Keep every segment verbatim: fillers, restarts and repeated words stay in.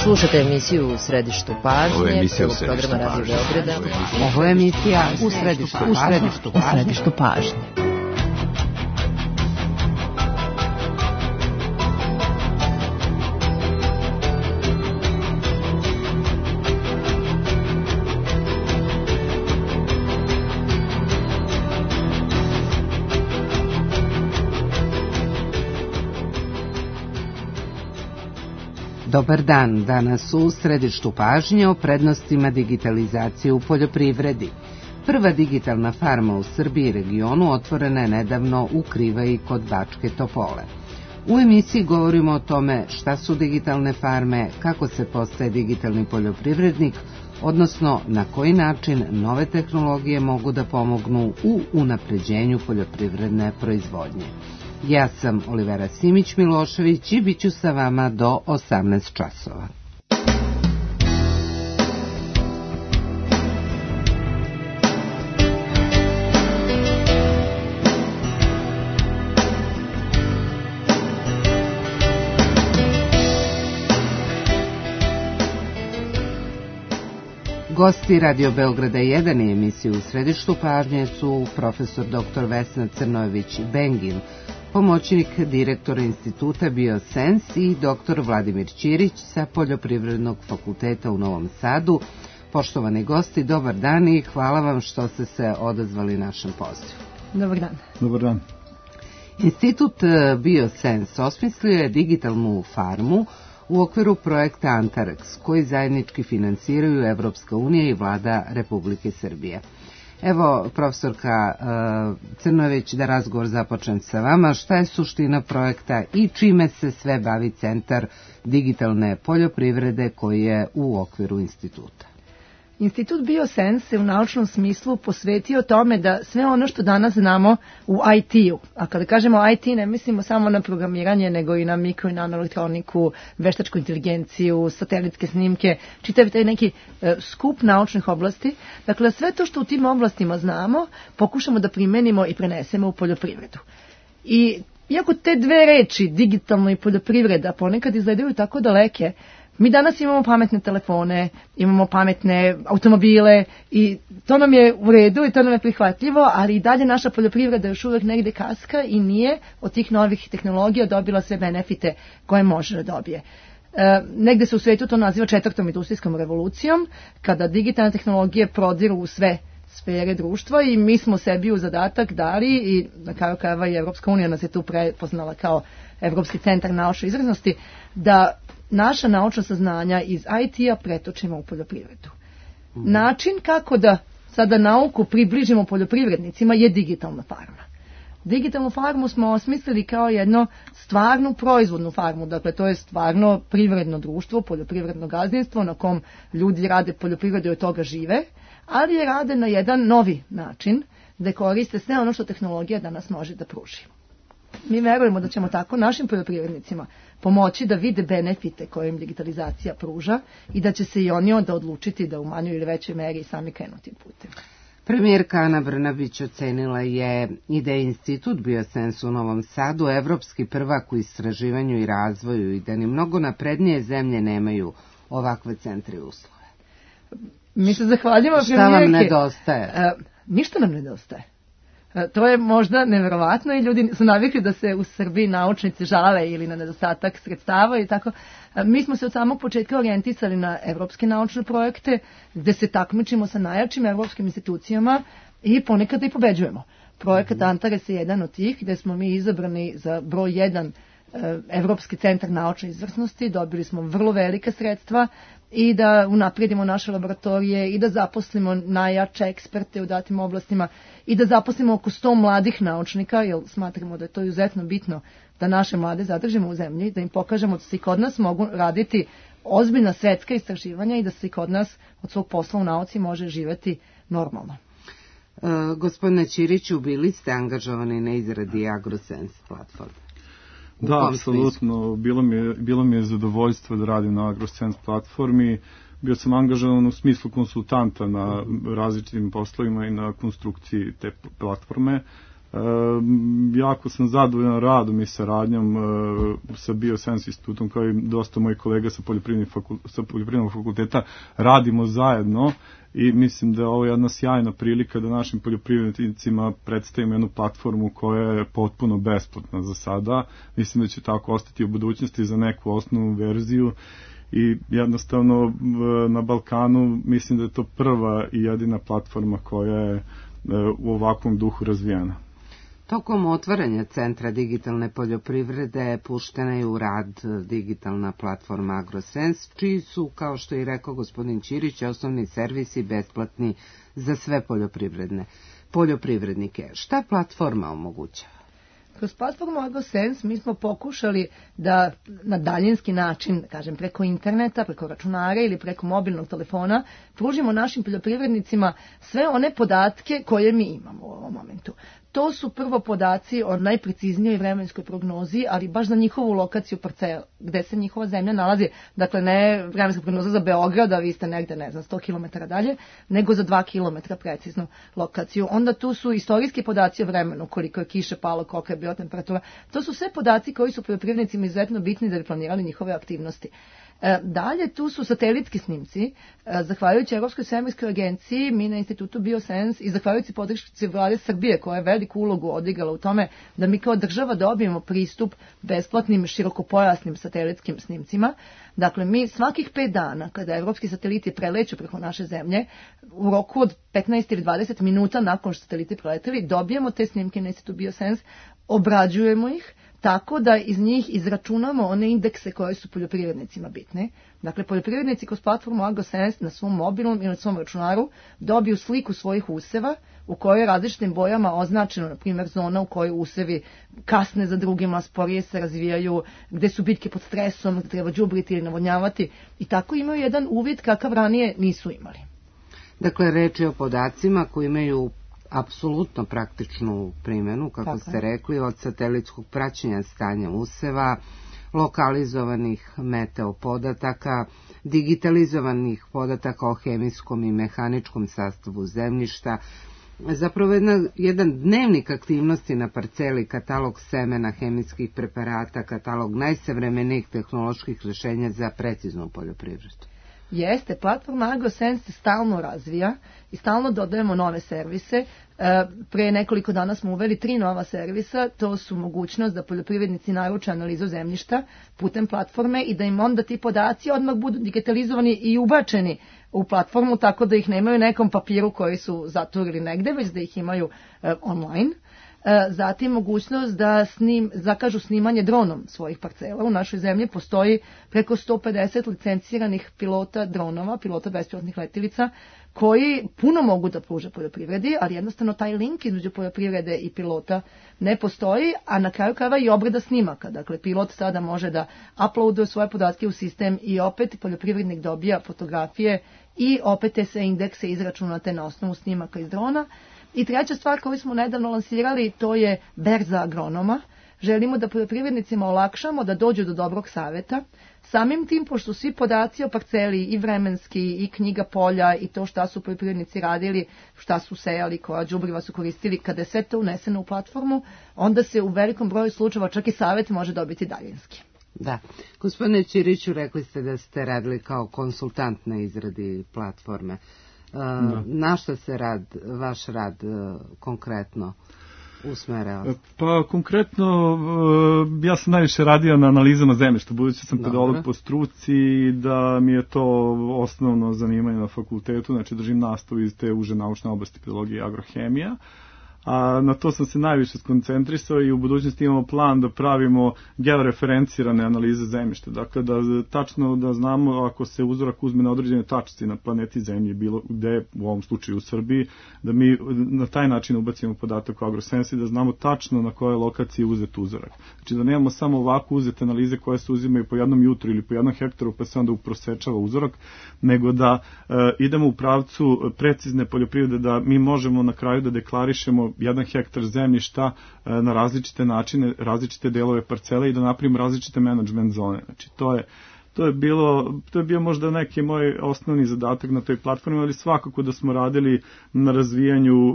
Slušate emisiju U središtu pažnje, prvog programa Radio Beograda. Ovo je emisija U središtu pažnje. U središtu pažnje. Dobar dan, danas u središtu pažnje o prednostima digitalizacije u poljoprivredi. Prva digitalna farma u Srbiji i regionu otvorena je nedavno u Krivaji kod Bačke Topole. U emisiji govorimo o tome šta su digitalne farme, kako se postaje digitalni poljoprivrednik, odnosno na koji način nove tehnologije mogu da pomognu u unapređenju poljoprivredne proizvodnje. Ja sam Olivera Simić-Milošević i bit ću sa vama do osamnaest časova. Gosti Radio Beograda jedan i emisiju U središtu pažnje su profesor doktor Vesna Crnojević-Bengin, pomoćnik direktora instituta Biosens i doktor Vladimir Ćirić sa Poljoprivrednog fakulteta u Novom Sadu. Poštovani gosti, dobar dan i hvala vam što ste se odazvali našem pozivu. Dobar dan. Dobar dan. Institut Biosens osmislio je digitalnu farmu u okviru projekta Antarex, koji zajednički finansiraju Evropska unija i vlada Republike Srbije. Evo, profesorka uh, Crnojević, da razgovor započnem sa vama. Šta je suština projekta i čime se sve bavi Centar digitalne poljoprivrede koji je u okviru instituta? Institut Biosens se u naučnom smislu posvetio tome da sve ono što danas znamo u I T-u, a kada kažemo I T ne mislimo samo na programiranje, nego i na mikro i nanoelektroniku, veštačku inteligenciju, satelitske snimke, čitav taj neki e, skup naučnih oblasti. Dakle, sve to što u tim oblastima znamo, pokušamo da primenimo i prenesemo u poljoprivredu. I iako te dve reči, digitalno i poljoprivreda, ponekad izgledaju tako daleke, mi danas imamo pametne telefone, imamo pametne automobile i to nam je u redu i to nam je prihvatljivo, ali i dalje naša poljoprivreda još uvek negde kaska i nije od tih novih tehnologija dobila sve benefite koje može da dobije. E, negde se u svetu to naziva četvrtom industrijskom revolucijom, kada digitalne tehnologije prodiru u sve sfere društva i mi smo sebi u zadatak dali i na kraju krajeva i Evropska unija nas je tu prepoznala kao Evropski centar naučne izvrsnosti, da naša naučna saznanja iz I T-a pretočimo u poljoprivredu. Mm. Način kako da sada nauku približimo poljoprivrednicima je digitalna farma. Digitalnu farmu smo osmislili kao jedno stvarnu proizvodnu farmu, dakle to je stvarno privredno društvo, poljoprivredno gazdinstvo na kom ljudi rade poljoprivredu i od toga žive, ali je rade na jedan novi način da koriste sve ono što tehnologija danas može da pruži. Mi verujemo da ćemo tako našim poljoprivrednicima pomoći da vide benefite koje im digitalizacija pruža i da će se i oni onda odlučiti da u manjoj ili većoj meri sami krenu tim putem. Premijerka Ana Brnabić ocenila je i da je Institut Biosens u Novom Sadu evropski prvak u istraživanju i razvoju i da ni mnogo naprednije zemlje nemaju ovakve centre i uslove. Mi se zahvaljujemo premijerke. Šta vam nedostaje? A, ništa nam nedostaje. To je možda neverovatno i ljudi su navikli da se u Srbiji naučnici žale ili na nedostatak sredstava i tako. Mi smo se od samog početka orijentisali na evropske naučne projekte gde se takmičimo sa najjačim evropskim institucijama i ponekad i pobeđujemo. Projekat Antares je jedan od tih gde smo mi izabrani za broj jedan Evropski centar naučne izvrsnosti, dobili smo vrlo velika sredstva i da unaprijedimo naše laboratorije i da zaposlimo najjače eksperte u datim oblastima i da zaposlimo oko sto mladih naučnika, jer smatramo da je to izuzetno bitno da naše mlade zadržimo u zemlji, da im pokažemo da se i kod nas mogu raditi ozbiljna svetska istraživanja i da se i kod nas od svog posla u nauci može živeti normalno. E, gospodine Ćiriću, bili ste angažovani na izradi AgroSense platforme? Da, apsolutno. Bilo mi je, bilo mi je zadovoljstvo da radim na AgroSense platformi. Bio sam angažovan u smislu konsultanta na različitim poslovima i na konstrukciji te platforme. jako sam zadovoljan radom i saradnjom sa Bioscience institutom, kao i dosta mojih kolega sa poljoprivrednog fakulteta, sa poljoprivrednog fakulteta, radimo zajedno i mislim da je ovo jedna sjajna prilika da našim poljoprivrednicima predstavimo jednu platformu koja je potpuno besplatna za sada. Mislim da će tako ostati u budućnosti za neku osnovnu verziju i jednostavno na Balkanu mislim da je to prva i jedina platforma koja je u ovakvom duhu razvijena. Tokom otvaranja Centra digitalne poljoprivrede puštena je u rad digitalna platforma AgroSense, čiji su, kao što je rekao gospodin Ćirić, osnovni servisi besplatni za sve poljoprivredne poljoprivrednike. Šta platforma omogućava? Kroz platformu AgroSense mi smo pokušali da na daljinski način, kažem preko interneta, preko računara ili preko mobilnog telefona, pružimo našim poljoprivrednicima sve one podatke koje mi imamo u ovom momentu. To su prvo podaci o najpreciznijoj vremenskoj prognozi, ali baš za njihovu lokaciju parcela, gde se njihova zemlja nalazi. Dakle, ne vremenska prognoza za Beograd, a vi ste negde, ne znam, sto kilometara dalje, nego za dva kilometra preciznu lokaciju. Onda tu su istorijski podaci o vremenu, koliko je kiše palo, kolika je bila temperatura. To su sve podaci koji su poljoprivrednicima izuzetno bitni da bi planirali njihove aktivnosti. Dalje, tu su satelitski snimci, zahvaljujući Evropskoj svemirskoj agenciji, mi na institutu Bioscience i zahvaljujući podršci vlade Srbije, koja je veliku ulogu odigrala u tome da mi kao država dobijemo pristup besplatnim širokopojasnim satelitskim snimcima. Dakle, mi svakih pet dana, kada evropski sateliti preleću preko naše zemlje, u roku od petnaest ili dvadeset minuta nakon što sateliti preleteli, dobijemo te snimke na institutu Bioscience, obrađujemo ih, tako da iz njih izračunamo one indekse koje su poljoprivrednicima bitne. Dakle, poljoprivrednici kroz platformu AgroSense na svom mobilnom ili na svom računaru dobiju sliku svojih useva u kojoj je različitim bojama označeno, na primjer, zona u kojoj usevi kasne za drugima, sporije se razvijaju, gde su bitke pod stresom, gde treba đubriti ili navodnjavati i tako imaju jedan uvid kakav ranije nisu imali. Dakle, reč je o podacima koji imaju apsolutno praktičnu primjenu, kako Tako. ste rekli, od satelitskog praćenja stanja useva, lokalizovanih meteo podataka, digitalizovanih podataka o hemijskom i mehaničkom sastavu zemljišta, zapravo jedna, jedan dnevnik aktivnosti na parceli, katalog semena, hemijskih preparata, katalog najsavremenijih tehnoloških rješenja za preciznu poljoprivredu. Jeste, platforma AgroSense se stalno razvija i stalno dodajemo nove servise. E, pre nekoliko dana smo uveli tri nova servisa, to su mogućnost da poljoprivrednici naruče analizu zemljišta putem platforme i da im onda ti podaci odmah budu digitalizovani i ubačeni u platformu, tako da ih nemaju nekom papiru koji su zaturili negde, već da ih imaju e, online. Zatim mogućnost da snim, zakažu snimanje dronom svojih parcela. U našoj zemlji postoji preko sto pedeset licenciranih pilota dronova, pilota bespilotnih letilica, koji puno mogu da pruže poljoprivredi, ali jednostavno taj link između poljoprivrede i pilota ne postoji, a na kraju krajeva i obrada snimaka. Dakle, pilot sada može da uploaduje svoje podatke u sistem i opet poljoprivrednik dobija fotografije i opet te sve indekse izračunate na osnovu snimaka iz drona. I treća stvar koju smo nedavno lansirali, to je berza agronoma. Želimo da poljoprivrednicima olakšamo da dođu do dobrog savjeta. Samim tim, pošto svi podaci o parceli i vremenski i knjiga polja i to šta su poljoprivrednici radili, šta su sejali, koja đubriva su koristili, kada je sve to uneseno u platformu, onda se u velikom broju slučajeva čak i savjet može dobiti daljinski. Da. Gospodine Ćiriću, rekli ste da ste radili kao konsultant na izradi platforme. Da. Na što se rad, vaš rad konkretno usmerao? Pa konkretno ja sam najviše radio na analizama zemljišta, budući sam pedolog po struci, da mi je to osnovno zanimanje na fakultetu, znači držim nastavu iz te uže naučne oblasti pedologije i agrohemija. A na to sam se najviše skoncentrisao i u budućnosti imamo plan da pravimo georeferencirane analize zemljišta. Dakle, da tačno da znamo ako se uzorak uzme na određene tačci na planeti Zemlji, bilo gde, u ovom slučaju u Srbiji, da mi na taj način ubacimo podatak u AgroSense i da znamo tačno na kojoj lokaciji je uzet uzorak. Znači da nemamo samo ovako uzete analize koje se uzimaju po jednom jutru ili po jednom hektaru pa se onda uprosečava uzorak, nego da e, idemo u pravcu precizne poljoprivrede, da mi možemo na kraju da deklarišemo jedan hektar zemljišta na različite načine, različite delove parcele i da napravimo različite menadžment zone. Znači, to je to je bilo, to je bio možda neki moj osnovni zadatak na toj platformi, ali svakako da smo radili na razvijanju e,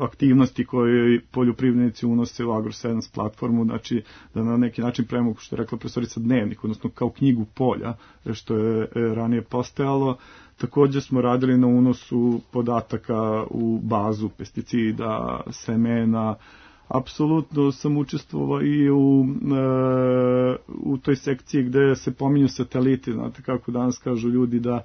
aktivnosti koje poljoprivrednici unose u AgroSense platformu, znači da na neki način pravimo, što je rekla profesorica, dnevnik, odnosno kao knjigu polja, što je e, ranije postojalo. Također smo radili na unosu podataka u bazu pesticida, semena. Apsolutno sam učestvovao i u, e, u toj sekciji gde se pominju sateliti, znate kako danas kažu ljudi da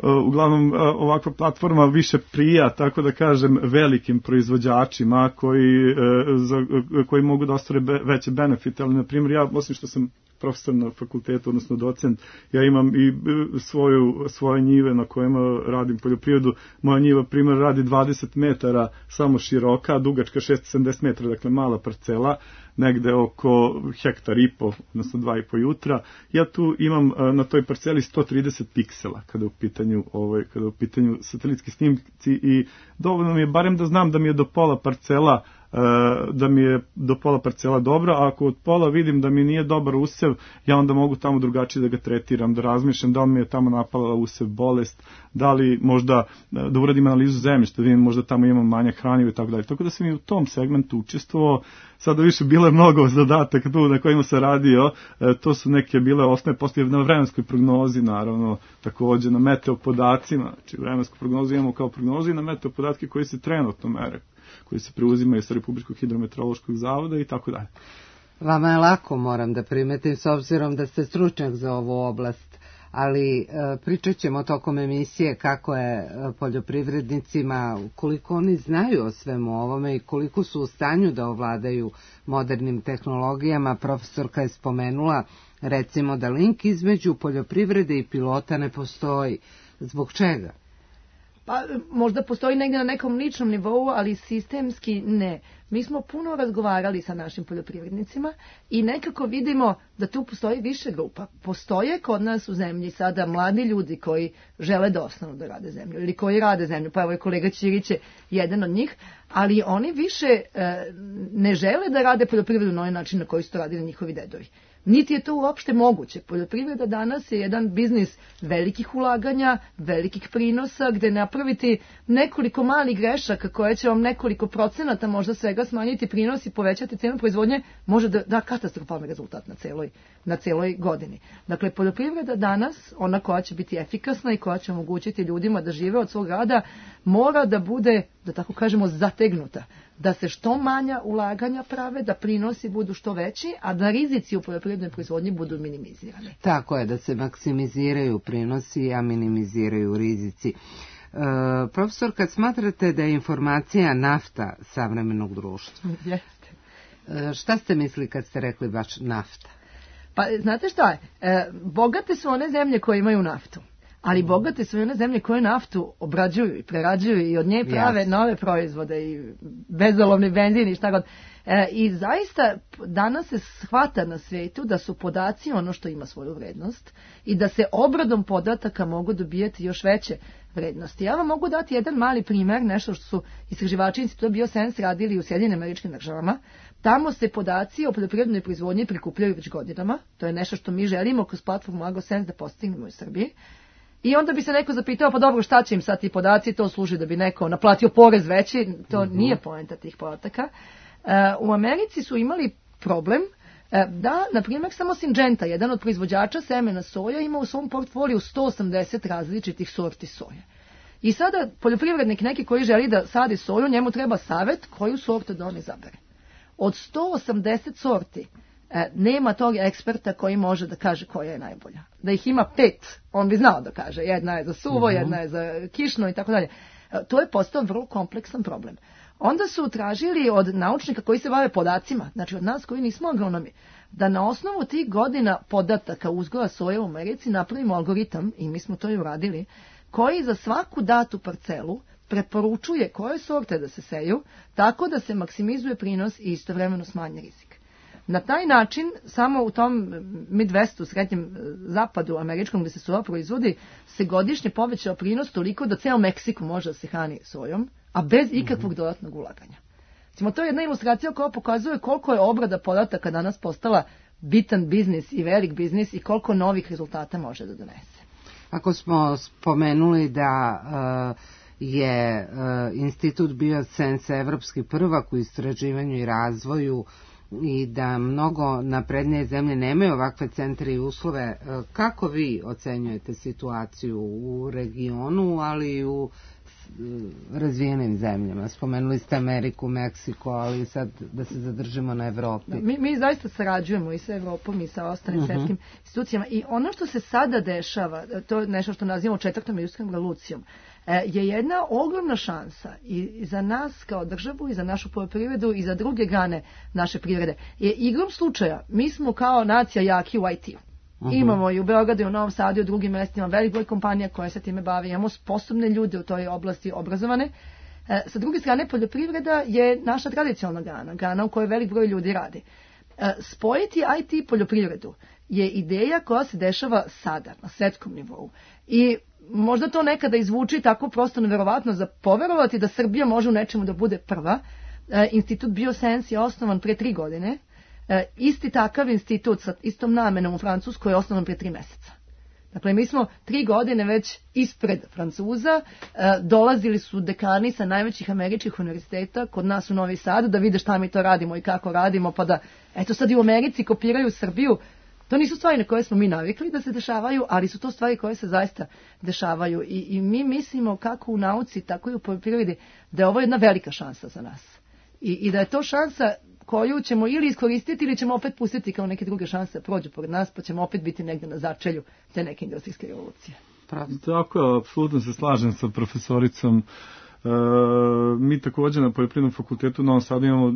e, uglavnom ovakva platforma više prija, tako da kažem, velikim proizvođačima koji, e, za, koji mogu da ostvare be, veće benefite, ali na primjer ja, osim što sam profesor na fakultetu, odnosno docent, ja imam i svoju, svoje njive na kojima radim poljoprivredu. Moja njiva, primjer, radi dvadeset metara samo široka, dugačka šesto sedamdeset metara, dakle mala parcela, negde oko hektar i po, odnosno dva i po jutra. Ja tu imam na toj parceli sto trideset piksela kada u pitanju, ovaj, kada u pitanju satelitski snimci i dovoljno mi je barem da znam da mi je do pola parcela da mi je do pola parcela dobra, a ako od pola vidim da mi nije dobar usev, ja onda mogu tamo drugačije da ga tretiram, da razmišljam da li mi je tamo napala usev bolest, da li možda da uradim analizu zemljišta, da vidim možda tamo imam manjak hraniva i tako dalje. Tako da sam i u tom segmentu učestvovao. Sada više bilo je mnogo zadataka tu na kojima sam radio, e, to su neke bile osnovne, postoje na vremenskoj prognozi, naravno, također na meteopodacima, znači vremensku prognozu imamo kao prognozu i na meteopodatke koji se trenutno mere, koji se preuzimaju sa Republičkog hidrometeorološkog zavoda i tako dalje. Vama je lako, moram da primetim, s obzirom da ste stručnjak za ovu oblast, ali e, pričat ćemo tokom emisije kako je poljoprivrednicima, koliko oni znaju o svemu ovome i koliko su u stanju da ovladaju modernim tehnologijama. Profesorka je spomenula, recimo, da link između poljoprivrede i pilota ne postoji. Zbog čega? Pa možda postoji negdje na nekom ličnom nivou, ali sistemski ne. Mi smo puno razgovarali sa našim poljoprivrednicima i nekako vidimo da tu postoji više grupa. Postoje kod nas u zemlji sada mladi ljudi koji žele da ostanu da rade zemlju ili koji rade zemlju, pa evo je kolega Ćirić je jedan od njih, ali oni više e, ne žele da rade poljoprivredu na onaj način na koji su to radili njihovi dedovi. Niti je to uopšte moguće. Poljoprivreda danas je jedan biznis velikih ulaganja, velikih prinosa, gde napraviti nekoliko malih grešaka koje će vam nekoliko procenata možda svega smanjiti prinos i povećati cenu proizvodnje, može da da katastrofalni rezultat na celoj, na celoj godini. Dakle, poljoprivreda danas, ona koja će biti efikasna i koja će omogućiti ljudima da žive od svog rada, mora da bude, da tako kažemo, zategnuta. Da se što manja ulaganja prave, da prinosi budu što veći, a da rizici u poljoprivrednoj proizvodnji budu minimizirani. Tako je, da se maksimiziraju prinosi, a minimiziraju rizici. E, profesor, kad smatrate da je informacija nafta savremenog društva, Jeste. E, šta ste mislili kad ste rekli baš nafta? Pa, znate šta je? E, bogate su one zemlje koje imaju naftu. Ali bogate su i one zemlje koje naftu obrađuju i prerađuju i od nje prave yes. nove proizvode i bezolovni benzin i šta god. E, I zaista danas se shvata na svijetu da su podaci ono što ima svoju vrednost i da se obradom podataka mogu dobijati još veće vrednosti. Ja vam mogu dati jedan mali primjer, nešto što su istraživači Instituta BioSense radili u Sjedinjenim Američkim Državama. Tamo se podaci o poljoprivrednoj proizvodnji prikupljaju već godinama. To je nešto što mi želimo kroz platformu AgroSense da postignemo u Srbiji. I onda bi se neko zapitao, pa dobro, šta će im sad ti podaci, to služi da bi neko naplatio porez veći, to uh-huh. nije poenta tih podataka. Uh, u Americi su imali problem uh, da, na primjer, samo Syngenta, jedan od proizvođača semena soja, ima u svom portfoliju sto osamdeset različitih sorti soje. I sada poljoprivrednik neki koji želi da sadi soju, njemu treba savjet koju sortu da on izabere. Od sto osamdeset sorti E, nema tog eksperta koji može da kaže koja je najbolja. Da ih ima pet, on bi znao da kaže. Jedna je za suvo, uh-huh. jedna je za kišno i tako dalje. To je postao vrlo kompleksan problem. Onda su tražili od naučnika koji se bave podacima, znači od nas koji nismo agronomi, da na osnovu tih godina podataka uzgoja soje u Americi napravimo algoritam, i mi smo to i uradili, koji za svaku datu parcelu preporučuje koje sorte da se seju, tako da se maksimizuje prinos i istovremeno smanje rizik. Na taj način, samo u tom Midwestu, srednjem zapadu američkom gdje se soja proizvodi, se godišnje povećao prinos toliko da ceo Meksiko može da se hrani sojom, a bez ikakvog dodatnog ulaganja. Recimo, to je jedna ilustracija koja pokazuje koliko je obrada podataka danas postala bitan biznis i velik biznis i koliko novih rezultata može da donese. Ako smo spomenuli da uh, je uh, Institut Biosense evropski prvak u istraživanju i razvoju i da mnogo naprednije zemlje nemaju ovakve centre i uslove, uh, kako vi ocenjujete situaciju u regionu, ali i u razvijenim zemljama? Spomenuli ste Ameriku, Meksiko, ali sad da se zadržimo na Evropi. Mi, mi zaista sarađujemo i sa Evropom i sa ostalim uh-huh. svetskim institucijama i ono što se sada dešava, to je nešto što nazivamo četvrtom industrijskom revolucijom, je jedna ogromna šansa i za nas kao državu i za našu poljoprivredu i za druge grane naše privrede. Je igrom slučaja, mi smo kao nacija jaki u I T-u. Uh-huh. Imamo i u Beogradu i u Novom Sadu i u drugim mestima velik broj kompanija koje se time bavi. Imamo sposobne ljude u toj oblasti, obrazovane. E, sa druge strane, poljoprivreda je naša tradicionalna grana, grana u kojoj velik broj ljudi radi. E, spojiti I T i poljoprivredu je ideja koja se dešava sada, na svetskom nivou. I možda to nekada izvuči tako prosto neverovatno za poverovati da Srbija može u nečemu da bude prva. E, Institut Biosense je osnovan pre tri godine. E, isti takav institut sa istom namenom u Francuskoj je osnovan prije tri meseca. Dakle, mi smo tri godine već ispred Francuza, e, dolazili su dekani sa najvećih američkih univerziteta kod nas u Novi Sad da vide šta mi to radimo i kako radimo, pa da, eto sad i u Americi kopiraju Srbiju. To nisu stvari na koje smo mi navikli da se dešavaju, ali su to stvari koje se zaista dešavaju. I, i mi mislimo kako u nauci, tako i u poljoprivredi, da je ovo jedna velika šansa za nas. I, i da je to šansa koju ćemo ili iskoristiti ili ćemo opet pustiti kao neke druge šanse prođu pored nas, pa ćemo opet biti negdje na začelju te neke industrijske revolucije. Tako, apsolutno se slažem sa profesoricom. E, mi također na Poljoprivrednom fakultetu u Novom Sadu imamo e,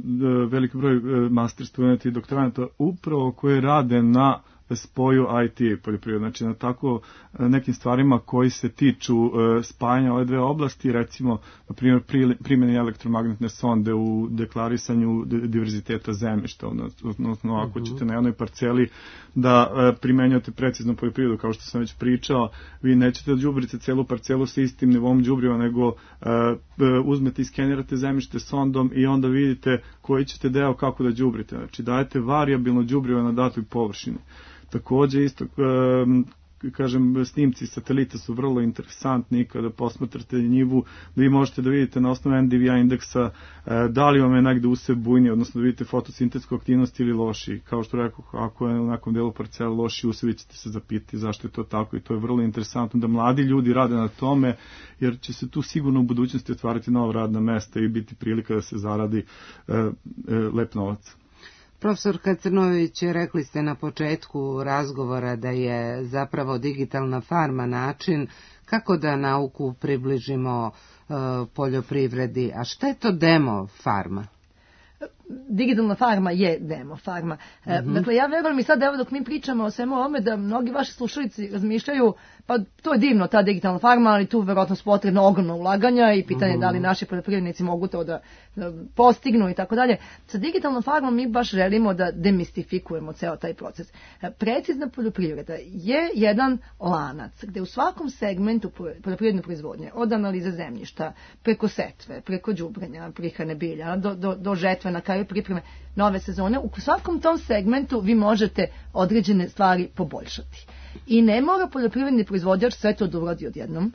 veliki broj e, master studenata i doktoranata upravo koji rade na spoju I T i poljoprivrede, znači na tako nekim stvarima koji se tiču e, spajanja ove dve oblasti, recimo, na primjer, primjene elektromagnetne sonde u deklarisanju diverziteta zemljišta, odnosno ako uh-huh. ćete na jednoj parceli da e, primenjujete preciznu poljoprivredu, kao što sam već pričao, vi nećete da đubrite celu parcelu sa istim nivom đubriva, nego e, uzmete i skenirate zemljište sondom i onda vidite koji ćete deo kako da đubrite, znači dajete varijabilno đubrivo na datoj površini. Također isto, kažem, snimci satelita su vrlo interesantni kada posmatrate njivu, da vi možete da vidite na osnovu N D V I indeksa da li vam je negde usев bujni, odnosno da vidite fotosintetsku aktivnost ili loši. Kao što rekao, ako je u nekom delu parcela loši usjev, vi ćete se zapitati zašto je to tako i to je vrlo interesantno da mladi ljudi rade na tome, jer će se tu sigurno u budućnosti otvarati nova radna mesta i biti prilika da se zaradi e, e, lep novac. Profesorka Crnović, rekli ste na početku razgovora da je zapravo digitalna farma način kako da nauku približimo uh, poljoprivredi. A šta je to demo farma? Digitalna farma je demo farma. Mm-hmm. Dakle, ja verujem i sad evo dok mi pričamo o svemu ovome da mnogi vaši slušalici razmišljaju, pa to je divno ta digitalna farma, ali tu verovatno su potrebno ogromno ulaganja i pitanje mm-hmm. da li naši poljoprivrednici mogu to da, da postignu i tako dalje. Sa digitalnom farmom mi baš želimo da demistifikujemo ceo taj proces. Precizna poljoprivreda je jedan lanac gde u svakom segmentu poljoprivredne proizvodnje, od analize zemljišta, preko setve, preko đubrenja, prihrane bilja, do, do, do žetve, na kraju pripreme nove sezone, u svakom tom segmentu vi možete određene stvari poboljšati. I ne mora poljoprivredni proizvođač sve to da uradi odjednom.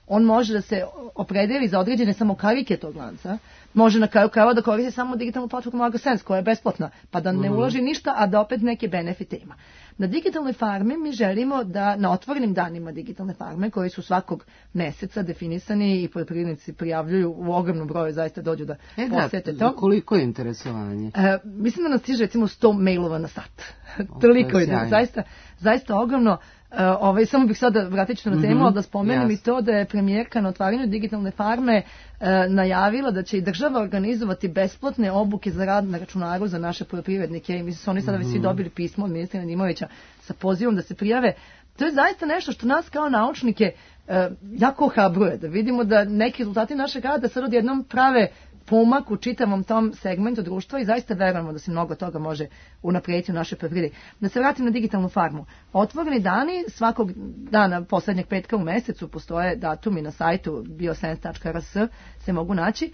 On može da se opredeli za određene samo karike tog lanca, može na kraju krajeva da koristi samo digitalnu platformu AgroSense koja je besplatna, pa da ne ulaži ništa, a da opet neke benefite ima. Na digitalnoj farmi mi želimo da na otvorenim danima digitalne farme, koji su svakog meseca definisani i poljoprivrednici prijavljuju u ogromnom broju, zaista dođu da e, posete da, to. Koliko je interesovanje? E, mislim da nas stiže recimo sto mailova na sat. Toliko je, zaista, zaista ogromno. Uh, ovaj, samo bih sada vratit ću na temu, mm-hmm, ali da spomenem yes. i to da je premijerka na otvaranju digitalne farme uh, najavila da će i država organizovati besplatne obuke za rad na računaru za naše poljoprivrednike i mislim su oni sada mm-hmm. već svi dobili pismo od ministra Nedimovića sa pozivom da se prijave. To je zaista nešto što nas kao naučnike uh, jako ohrabruje, da vidimo da neki rezultati našeg rada sad odjednom prave pomak u čitavom tom segmentu društva i zaista verujemo da se mnogo toga može unaprijediti u našoj poljoprivredi. Da se vratim na digitalnu farmu. Otvoreni dani, svakog dana poslednjeg petka u mesecu postoje datumi na sajtu biosens tačka r s se mogu naći.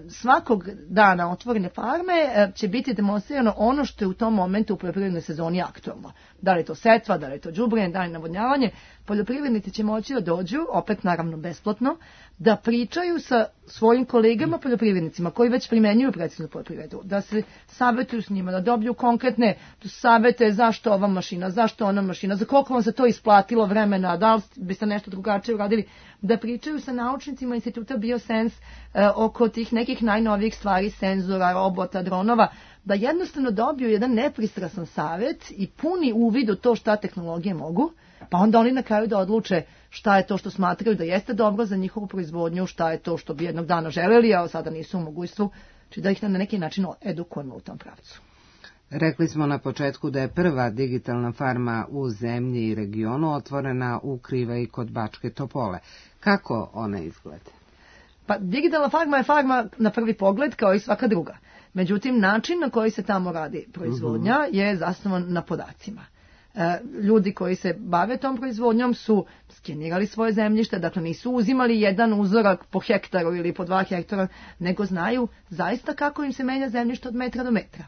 Svakog dana otvorene farme će biti demonstrirano ono što je u tom momentu u poljoprivrednoj sezoni aktualno. Da li je to setva, da li je to đubre, da li je navodnjavanje. Poljoprivrednici će moći da dođu, opet naravno besplatno, da pričaju sa svojim kolegama poljoprivrednicima koji već primenjuju precisnu poljoprivredu, da se savjetuju s njima, da dobiju konkretne savjete zašto ova mašina, zašto ona mašina, za koliko vam se to isplatilo vremena, da li biste nešto drugačije uradili, da pričaju sa naučnicima instituta Biosens e, oko tih nekih najnovijih stvari, senzora, robota, dronova, da jednostavno dobiju jedan nepristrasan savjet i puni uvid u to šta tehnologije mogu, pa onda oni na kraju da odluče šta je to što smatraju da jeste dobro za njihovu proizvodnju, šta je to što bi jednog dana želeli, a sada nisu u mogućstvu, či da ih na neki način edukujemo u tom pravcu. Rekli smo na početku da je prva digitalna farma u zemlji i regionu otvorena u Krivaji kod Bačke Topole. Kako ona izgleda? Pa digitalna farma je farma na prvi pogled kao i svaka druga. Međutim, način na koji se tamo radi proizvodnja uh-huh. je zasnovan na podacima. E, ljudi koji se bave tom proizvodnjom su skenirali svoje zemljište, dakle nisu uzimali jedan uzorak po hektaru ili po dva hektara, nego znaju zaista kako im se menja zemljište od metra do metra.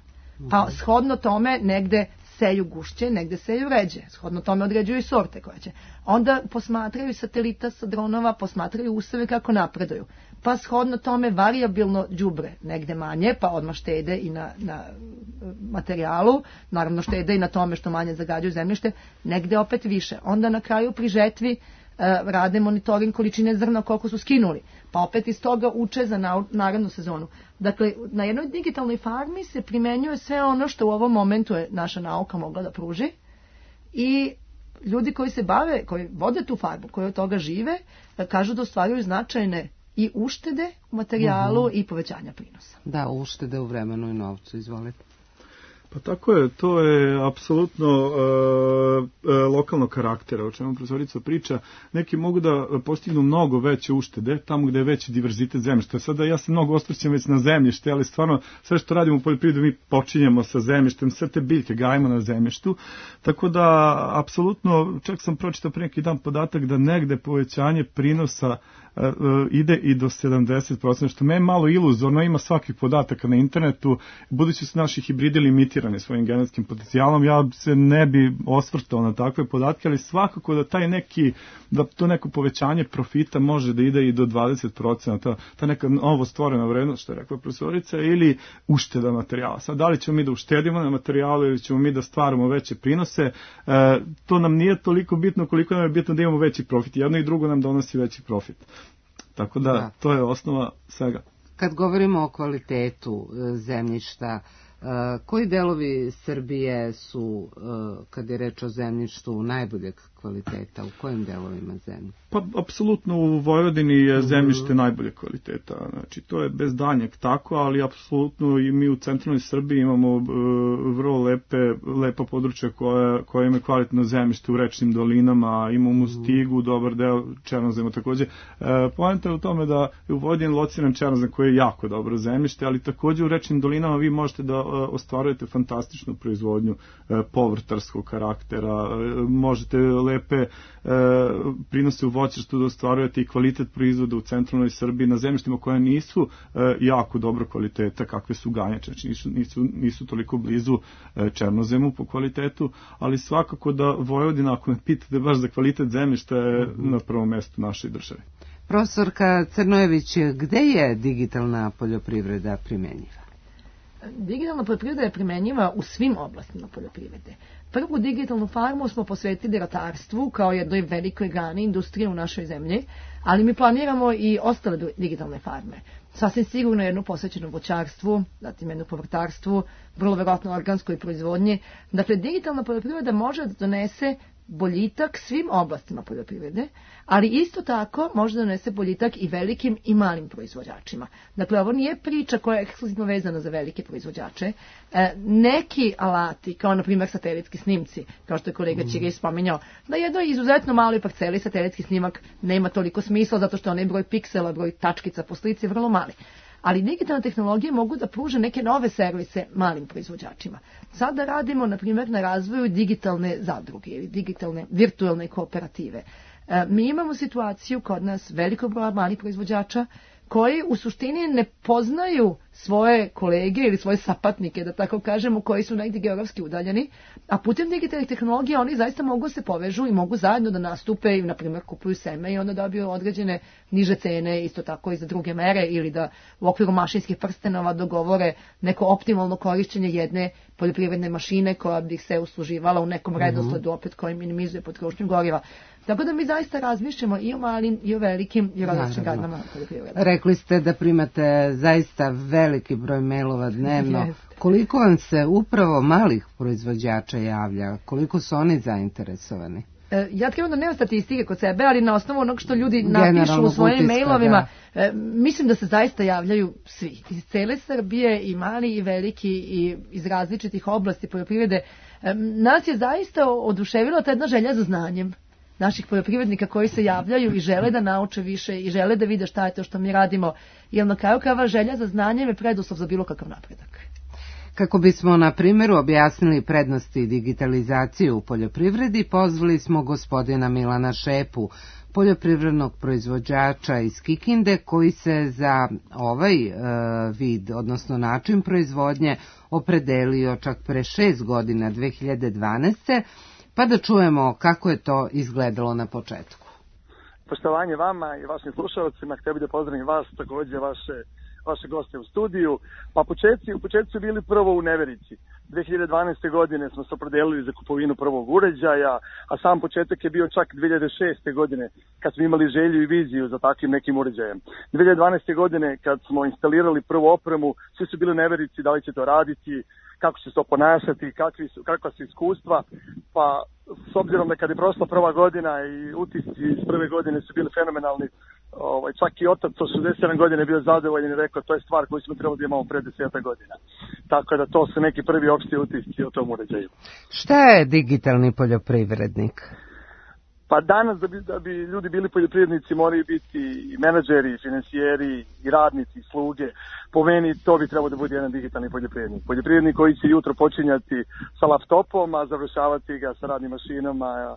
Pa shodno tome negde seju gušće, negde seju ređe. Shodno tome određuju i sorte koje će. Onda posmatraju satelita sa dronova, posmatraju useve kako napreduju. Pa shodno tome varijabilno đubre, negde manje, pa odmah štede i na, na materijalu, naravno štede i na tome što manje zagađuju zemljište, negde opet više. Onda na kraju pri žetvi e, rade monitoring količine zrna koliko su skinuli, pa opet iz toga uče za na, narednu sezonu. Dakle, na jednoj digitalnoj farmi se primenjuje sve ono što u ovom momentu je naša nauka mogla da pruži i ljudi koji se bave, koji vode tu farmu, koji od toga žive, kažu da ostvaruju značajne i uštede u materijalu uh-huh. i povećanja prinosa. Da, uštede u vremenu i novcu, izvolite. Pa tako je, to je apsolutno e, e, lokalnog karaktera, o čemu profesorica priča. Neki mogu da postignu mnogo veće uštede tamo gde je veći diverzitet zemljišta. Sada ja se mnogo osvrćem već na zemljište, ali stvarno sve što radimo u poljoprivredi mi počinjemo sa zemljištem, sve te biljke gajimo na zemljištu. Tako da, apsolutno, čak sam pročitao pre neki dan podatak da negde povećanje prinosa ide i do sedamdeset posto, što me je malo iluzorno, ima svakih podataka na internetu, budući su naši hibridi limitirani svojim genetskim potencijalom, ja se ne bi osvrtao na takve podatke, ali svakako da taj neki, da to neko povećanje profita može da ide i do dvadeset posto, ta, ta neka novo stvorena vrednost, što je rekla profesorica, ili ušteda materijala. Sad, da li ćemo mi da uštedimo na materijalu ili ćemo mi da stvaramo veće prinose, e, to nam nije toliko bitno koliko nam je bitno da imamo veći profit. Jedno i drugo nam donosi veći profit. Tako da, da, to je osnova svega. Kad govorimo o kvalitetu zemljišta, koji delovi Srbije su, kad je reč o zemljištu, najboljeg kvaliteta? U kojim delovima zemlje? Pa, apsolutno u Vojvodini je zemljište najbolje kvaliteta. Znači, to je bez danjeg tako, ali apsolutno i mi u centralnoj Srbiji imamo uh, vrlo lepe, lepa područja koja, koja ima kvalitetno zemljište u rečnim dolinama, imamo u Stigu, dobar deo černozema takođe. Uh, Poenta je u tome da je u Vojvodini lociran černozem koji je jako dobro zemljište, ali takođe u rečnim dolinama vi možete da uh, ostvarujete fantastičnu proizvodnju uh, povrtarskog karaktera, uh, možete lepe e, prinose u voćarstvu da ostvarujete i kvalitet proizvoda u centralnoj Srbiji na zemljištima koja nisu e, jako dobro kvaliteta, kakve su ganjače, znači nisu, nisu, nisu toliko blizu e, černozemu po kvalitetu, ali svakako da Vojvodina, ako me pitate baš za kvalitet zemljišta, je na prvom mestu našoj državi. Profesorka Crnojević, gde je digitalna poljoprivreda primenjiva? Digitalna poljoprivreda je primenjiva u svim oblastima poljoprivrede. Prvu digitalnu farmu smo posvetili ratarstvu kao jednoj velikoj grani industrije u našoj zemlji, ali mi planiramo i ostale digitalne farme. Sasvim sigurno jednu posvećenu voćarstvu, zatim jednu povrtarstvu, vrlo verovatno organskoj proizvodnji. Dakle, digitalna poljoprivreda može da donese boljitak svim oblastima poljoprivrede, ali isto tako može da donese boljitak i velikim i malim proizvođačima. Dakle, ovo nije priča koja je ekskluzivno vezana za velike proizvođače. E, neki alati, kao na primjer satelitski snimci, kao što je kolega Ćirić spominjao, na jednoj izuzetno maloj parceli satelitski snimak nema toliko smisla, zato što onaj broj piksela, broj tačkica po slici je vrlo mali. ali digitalne tehnologije mogu da pruže neke nove servise malim proizvođačima. Sada radimo, na primjer, na razvoju digitalne zadruge ili digitalne virtualne kooperative. E, mi imamo situaciju kod nas velikog broja malih proizvođača koji u suštini ne poznaju svoje kolege ili svoje sapatnike, da tako kažemo, koji su negdje geografski udaljeni, a putem digitalnih tehnologija oni zaista mogu se povežu i mogu zajedno da nastupe i, na primjer, kupuju seme i onda dobiju određene niže cene, isto tako i za druge mere, ili da u okviru mašinskih prstenova dogovore neko optimalno korišćenje jedne poljoprivredne mašine koja bi se usluživala u nekom redosledu, opet koji minimizuje potrošnju goriva. Tako da mi zaista razmišljamo i o malim, i o velikim, i o različitim granama poljoprivrede. Rekli ste da primate zaista veliki broj mailova dnevno. Jeste. Koliko vam se upravo malih proizvođača javlja? Koliko su oni zainteresovani? E, ja trebam da nema statistike kod sebe, ali na osnovu onog što ljudi napišu u svojim mailovima, da. e, mislim da se zaista javljaju svi. Iz cele Srbije, i mali i veliki, i iz različitih oblasti poljoprivrede. E, nas je zaista oduševila ta jedna želja za znanjem naših poljoprivrednika koji se javljaju i žele da nauče više i žele da vide šta je to što mi radimo, jer na kraju krajeva želja za znanjem je preduslov za bilo kakav napredak. Kako bismo na primjeru objasnili prednosti digitalizacije u poljoprivredi, pozvali smo gospodina Milana Šepu, poljoprivrednog proizvođača iz Kikinde, koji se za ovaj e, vid, odnosno način proizvodnje, opredelio čak pre šest godina, dve hiljade dvanaeste. Pa da čujemo kako je to izgledalo na početku. Poštovanje vama i vašim slušalcima, htio bih da pozdravim vas, također vaše, vaše goste u studiju. Pa početci, u početku su bili prvo u neverici. dve hiljade dvanaeste. godine smo se opredelili za kupovinu prvog uređaja, a sam početak je bio čak dve hiljade šeste. godine, kad smo imali želju i viziju za takvim nekim uređajem. dve hiljade dvanaeste. godine, kad smo instalirali prvu opremu, svi su bili u neverici da li će to raditi, kako će se to ponašati, kakvi su, kakva su iskustva, pa s obzirom da kad je prošla prva godina i utisci iz prve godine su bili fenomenalni, ovaj, čak i otac od šezdeset sedam godina je bio zadovoljen i rekao to je stvar koju smo trebali da imamo pre deset godina. Tako da to su neki prvi opšti utisci o tom uređaju. Šta je digitalni poljoprivrednik? Pa danas da bi, da bi ljudi bili poljoprivrednici moraju biti i menadžeri, i finansijeri, i radnici, i sluge. Po meni to bi trebalo da bude jedan digitalni poljoprivrednik. Poljoprivrednik koji će jutro počinjati sa laptopom, a završavati ga sa radnim mašinama.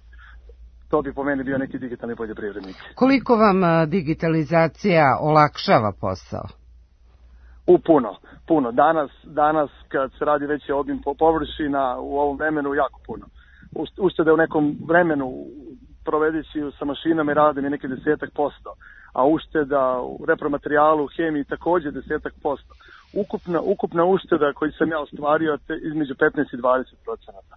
To bi po meni bio neki digitalni poljoprivrednik. Koliko vam digitalizacija olakšava posao? U puno, puno. Danas, danas kad se radi veći obim površina u ovom vremenu jako puno. Uštede u nekom vremenu provedeći sa mašinama i radom je neki desetak posto, a ušteda u repromaterijalu, u hemiji također desetak posto. Ukupna, ukupna ušteda koju sam ja ostvario te između petnaest i dvadeset procenata.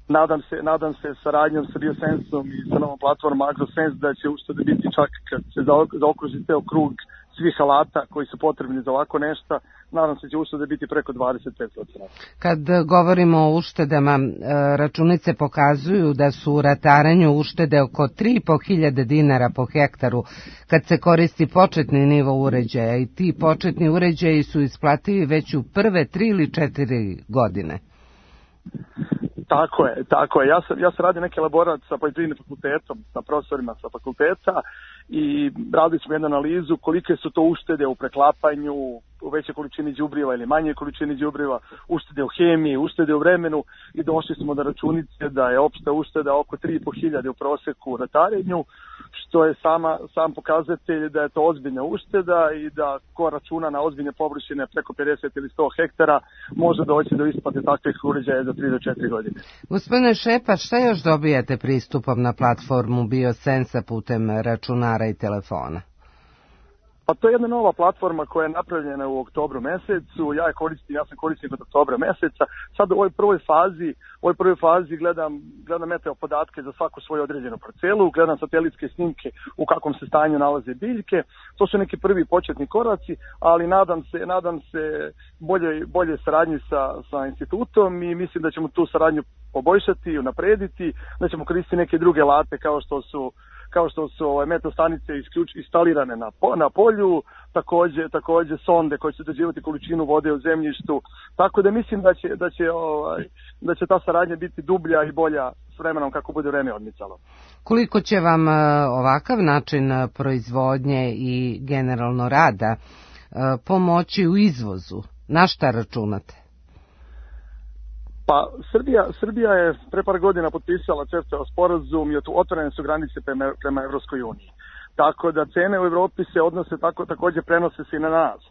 Nadam se, nadam se saradnjom sa BioSensom i sa novom platformom AgroSense da će uštede biti čak kad se zaokruži ceo krug svih alata koji su potrebni za ovako nešto, nadam se će uštede biti preko dvadeset pet procenata. Kad govorimo o uštedama, računice pokazuju da su u ratarenju uštede oko tri i po hiljade dinara po hektaru kad se koristi početni nivo uređaja i ti početni uređaji su isplativi već u prve tri ili četiri godine. Tako je, tako je. Ja sam, ja sam radio neki elaborat sa poljoprivrednim fakultetom, sa profesorima sa fakulteta i radili smo jednu analizu kolike su to uštede u preklapanju, u većoj količini đubriva ili manje količini đubriva, uštede u hemiji, uštede u vremenu i došli smo do računice da je opšta ušteda oko tri i po hiljade u proseku u ratarenju, što je sama, sam pokazatelj da je to ozbiljna ušteda i da ko računa na ozbiljne površine preko pedeset ili sto hektara može doći do isplate takvih uređaja za tri do četiri godine. Gospodine Šepa, šta još dobijate pristupom na platformu BioSensa putem računara i telefona? Pa to je jedna nova platforma koja je napravljena u oktobru mesecu, ja je koristim, ja sam korisnik od oktobra meseca, sad u ovoj prvoj fazi, u ovoj prvoj fazi gledam, gledam meteo podatke za svaku svoju određenu parcelu, gledam satelitske snimke u kakvom se stanju nalaze biljke, to su neki prvi početni koraci, ali nadam se, nadam se bolje, bolje saradnji sa, sa institutom i mislim da ćemo tu saradnju poboljšati, unaprediti, da ćemo koristiti neke druge alate kao što su kao što su ovaj, metastanice isključ, instalirane na, po, na polju, također, također sonde koje će određivati količinu vode u zemljištu, tako da mislim da će, da će, ovaj, da će ta saradnja biti dublja i bolja s vremenom kako bude vreme odmicalo. Koliko će vam ovakav način proizvodnje i generalno rada pomoći u izvozu? Na šta računate? Pa Srbija, Srbija je pre par godina potpisala CEFTA sporazum i otvorene su granice prema, prema Evropskoj uniji. Tako da cene u Evropi se odnose tako, takođe prenose se i na nas.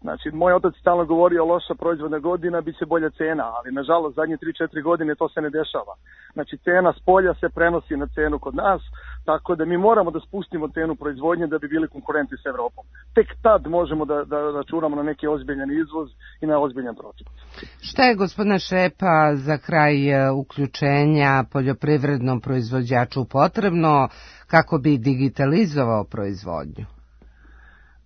Znači, moj otac stalno govorio loša proizvodna godina, bit će bolja cena, ali nažalost zadnje tri četiri godine to se ne dešava. Znači, cena s polja se prenosi na cenu kod nas, tako da mi moramo da spustimo cenu proizvodnje da bi bili konkurenti s Evropom. Tek tad možemo da, da računamo na neki ozbiljan izvoz i na ozbiljan profit. Šta je, gospodine Šepa, za kraj uključenja poljoprivrednom proizvođaču potrebno kako bi digitalizovao proizvodnju?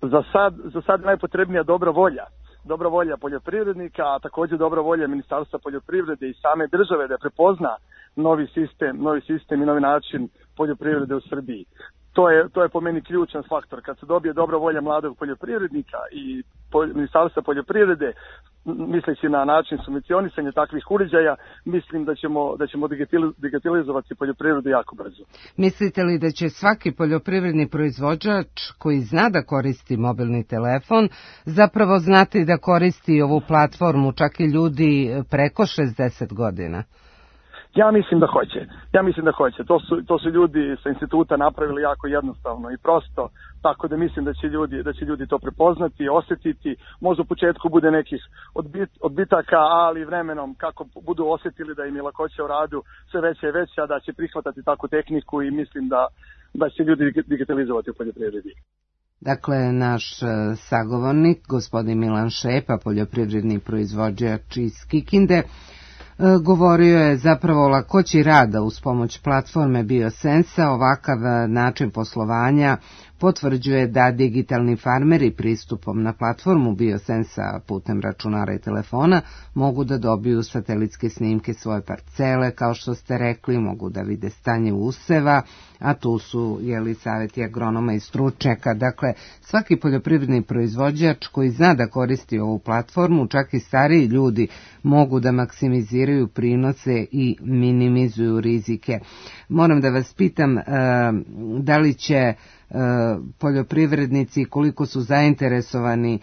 Za sad, za sad najpotrebnija dobra volja. Dobra volja poljoprivrednika, a takođe dobra volja Ministarstva poljoprivrede i same države da prepozna novi sistem, novi sistem i novi način poljoprivrede u Srbiji. To je, to je po meni ključan faktor. Kad se dobije dobra volja mladog poljoprivrednika i Ministarstva poljoprivrede, misleći na način subvencionisanja takvih uređaja, mislim da ćemo, da ćemo digitalizovati poljoprivredu jako brzo. Mislite li da će svaki poljoprivredni proizvođač koji zna da koristi mobilni telefon zapravo znati da koristi ovu platformu, čak i ljudi preko šezdeset godina? Ja mislim da hoće. Ja mislim da hoće. To su, to su ljudi sa instituta napravili jako jednostavno i prosto, tako da mislim da će ljudi, da će ljudi to prepoznati, osetiti. Možda u početku bude nekih odbit, odbitaka, ali vremenom kako budu osetili da im je lakoća u radu sve veća i veća, da će prihvatati takvu tehniku i mislim da, da će ljudi digitalizovati u poljoprivredi. Dakle, naš sagovornik, gospodin Milan Šepa, poljoprivredni proizvođač iz Kikinde, govorio je zapravo o lakoći rada uz pomoć platforme BioSensa. Ovakav način poslovanja potvrđuje da digitalni farmeri pristupom na platformu BioSensa putem računara i telefona mogu da dobiju satelitske snimke svoje parcele, kao što ste rekli, mogu da vide stanje useva, a tu su jeli savjeti agronoma i stručnjaka. Dakle, svaki poljoprivredni proizvođač koji zna da koristi ovu platformu, čak i stariji ljudi, mogu da maksimiziraju prinose i minimizuju rizike. Moram da vas pitam, da li će poljoprivrednici, koliko su zainteresovani,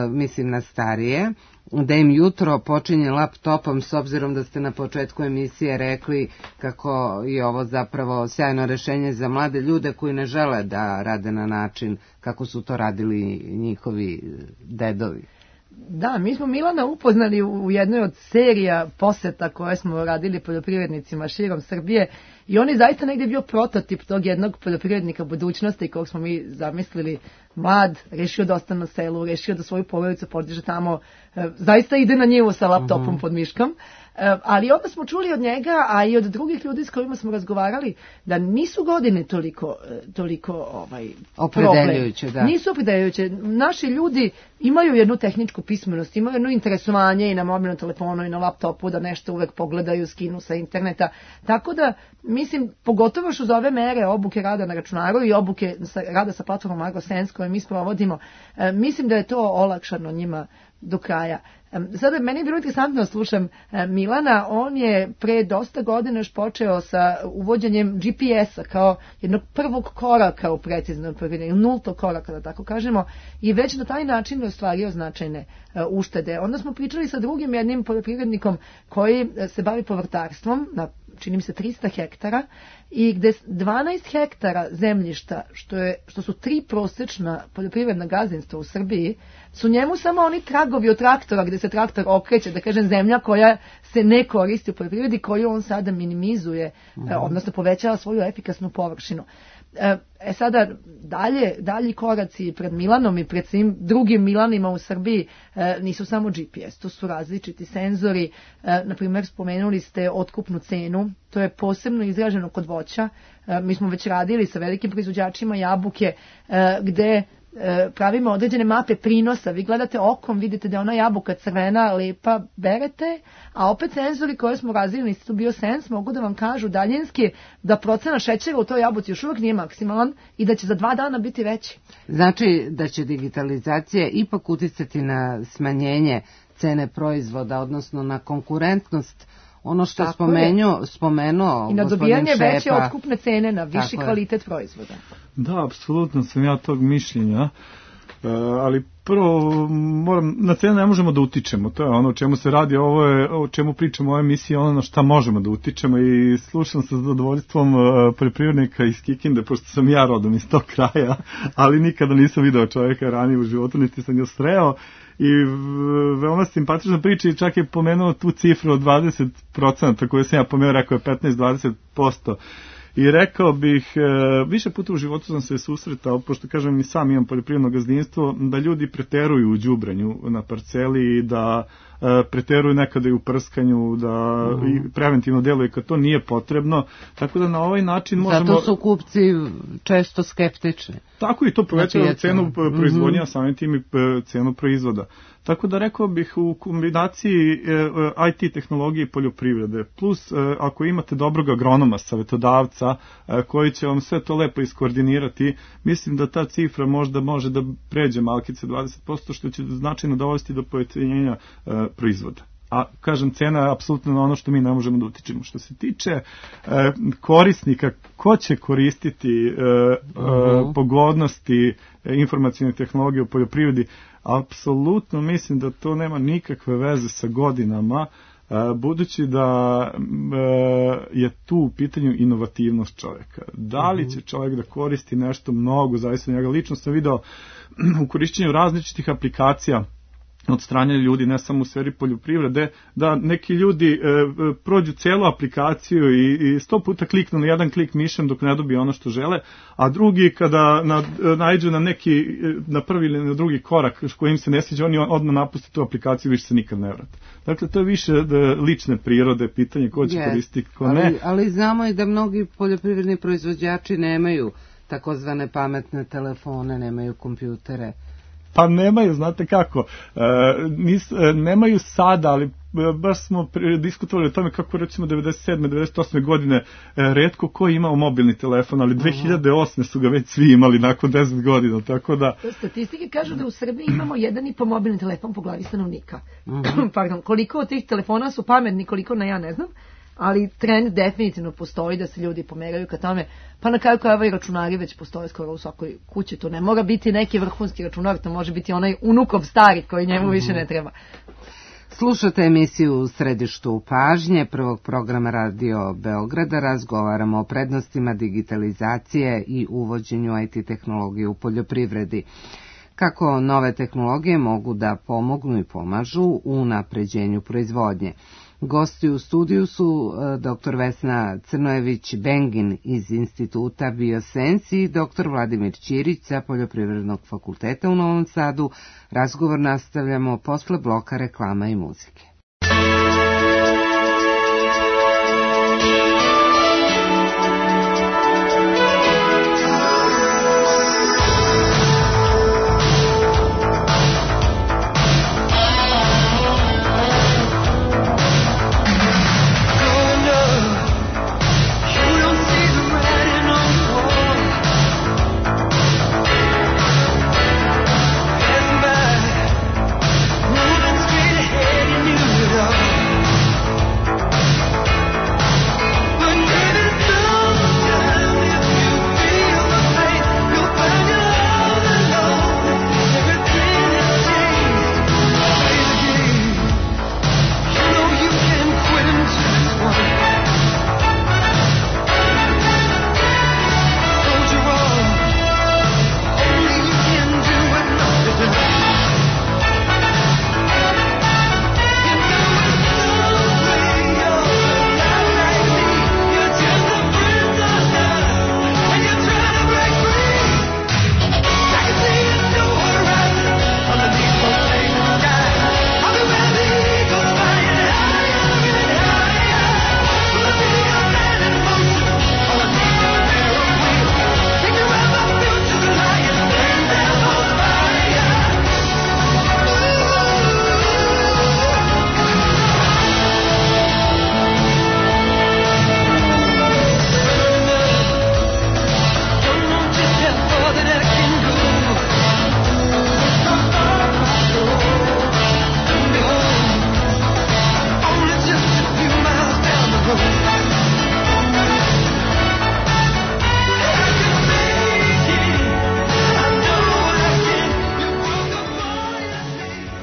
mislim na starije, da im jutro počinje laptopom, s obzirom da ste na početku emisije rekli kako je ovo zapravo sjajno rešenje za mlade ljude koji ne žele da rade na način kako su to radili njihovi dedovi. Da, mi smo Milana upoznali u jednoj od serija poseta koje smo radili poljoprivrednicima širom Srbije i on je zaista negdje bio prototip tog jednog poljoprivrednika budućnosti kog smo mi zamislili, mlad, rešio da ostane na selu, rešio da svoju porodicu podiže tamo, zaista ide na njivu sa laptopom uh-huh. pod miškom. Ali onda smo čuli od njega, a i od drugih ljudi s kojima smo razgovarali, da nisu godine toliko, toliko ovaj, opredeljujuće, da. Nisu opredeljujuće. Naši ljudi imaju jednu tehničku pismenost, imaju jedno interesovanje i na mobilnom telefonu i na laptopu da nešto uvek pogledaju, skinu sa interneta. Tako da, mislim, pogotovo što za ove mere obuke rada na računaru i obuke rada sa platformom AgroSense koje mi sprovodimo, mislim da je to olakšano njima do kraja. Sada meni je bilo interesantno slušam Milana, on je pre dosta godina još počeo sa uvođenjem G P S-a kao jednog prvog koraka u preciznom poljoprivrednom, nultog koraka, da tako kažemo, i već na taj način je ostvario značajne uštede. Onda smo pričali sa drugim jednim poljoprivrednikom koji se bavi povrtarstvom na čini mi se trista hektara i gde dvanaest hektara zemljišta, što, je, što su tri prosečna poljoprivredna gazdinstva u Srbiji, su njemu samo oni tragovi od traktora gde se traktor okreće, da kažem zemlja koja se ne koristi u poljoprivredi, koju on sada minimizuje, mm-hmm. odnosno povećava svoju efikasnu površinu. E sada, dalje, dalji koraci pred Milanom i pred svim drugim Milanima u Srbiji nisu samo G P S, to su različiti senzori, na primjer spomenuli ste otkupnu cenu, to je posebno izraženo kod voća, mi smo već radili sa velikim proizvođačima jabuke gde pravimo određene mape prinosa, vi gledate okom, vidite da je ona jabuka crvena, lepa, berete, a opet senzori koje smo razvili na Institutu BioSense mogu da vam kažu daljinski da procena šećera u toj jabuci još uvijek nije maksimalan i da će za dva dana biti veći. Znači da će digitalizacija ipak uticati na smanjenje cene proizvoda, odnosno na konkurentnost, ono što je spomenuo, spomenuo i na dobijanje Šepa, veće otkupne cene, na viši kvalitet proizvoda. Da, apsolutno sam ja tog mišljenja. ali prvo moram, na cenu ne možemo da utičemo, to je ono o čemu se radi, ovo je o čemu pričamo u ovoj emisiji, ono na šta možemo da utičemo i slušam sa zadovoljstvom poljoprivrednika iz Kikinde, pošto sam ja rodom iz tog kraja, ali nikada nisam video čovjeka ranije u životu, niti sam ga sreo i veoma simpatična priča i čak je pomenuo tu cifru od dvadeset procenta koju sam ja pomenuo, rekao je petnaest do dvadeset posto. I rekao bih, više puta u životu sam se susretao, pošto kažem i sam imam poljoprivredno gazdinstvo, da ljudi preteruju u đubrenju na parceli i da preteruju nekada i u prskanju, da i preventivno deluje kad to nije potrebno, tako da na ovaj način možemo... Zato su kupci često skeptični. Tako i to povećava cenu proizvodnja, samim tim i cenu proizvoda. Tako da rekao bih u kombinaciji I T tehnologije i poljoprivrede, plus ako imate dobrog agronoma, savjetodavca, koji će vam sve to lepo iskoordinirati, mislim da ta cifra možda može da pređe malkice dvadeset posto, što će značajno dovesti do pojeftinjenja proizvoda. A kažem, cena je apsolutno ono što mi ne možemo da utičemo. Što se tiče e, korisnika, ko će koristiti e, uh-huh. e, pogodnosti e, informacijne tehnologije u poljoprivredi, apsolutno mislim da to nema nikakve veze sa godinama, e, budući da e, je tu u pitanju inovativnost čovjeka. Da li će čovjek da koristi nešto mnogo, zavisno njega. Lično sam video u korišćenju različitih aplikacija od strane ljudi, ne samo u sferi poljoprivrede, da neki ljudi e, prođu celu aplikaciju i, i sto puta kliknu na jedan klik mišem dok ne dobije ono što žele, a drugi kada na, naiđu na neki, na prvi ili na drugi korak kojim se ne sviđa, oni odmah napuste tu aplikaciju i više se nikad ne vrate. Dakle, to je više lične prirode, pitanje ko će yes. koristiti, ko ne. Ali, ali znamo i da mnogi poljoprivredni proizvođači nemaju takozvane pametne telefone, nemaju kompjutere. Pa nemaju, znate kako, e, nis, e, nemaju sada, ali baš smo diskutovali o tome kako recimo devedeset sedme devedeset osme godine e, retko ko je imao mobilni telefon, ali dve hiljade osme su ga već svi imali nakon deset godina, tako da... Statistike kažu da u Srbiji imamo jedan i po mobilni telefon po glavi stanovnika. Uh-huh. Pardon, koliko od tih telefona su pametni, koliko na ja ne znam, ali trend definitivno postoji da se ljudi pomeraju ka tome, pa na kraju krajeva i računari već postoje skoro u svakoj kući, to ne mora biti neki vrhunski računar, to može biti onaj unukov stari koji njemu više ne treba. Slušate emisiju U središtu pažnje prvog programa Radio Beograda, razgovaramo o prednostima digitalizacije i uvođenju I T tehnologije u poljoprivredi. Kako nove tehnologije mogu da pomognu i pomažu u unapređenju proizvodnje. Gosti u studiju su dr Vesna Crnojević-Bengin iz Instituta Biosensi i dr Vladimir Ćirić sa Poljoprivrednog fakulteta u Novom Sadu. Razgovor nastavljamo posle bloka reklama i muzike. Moving straight ahead and you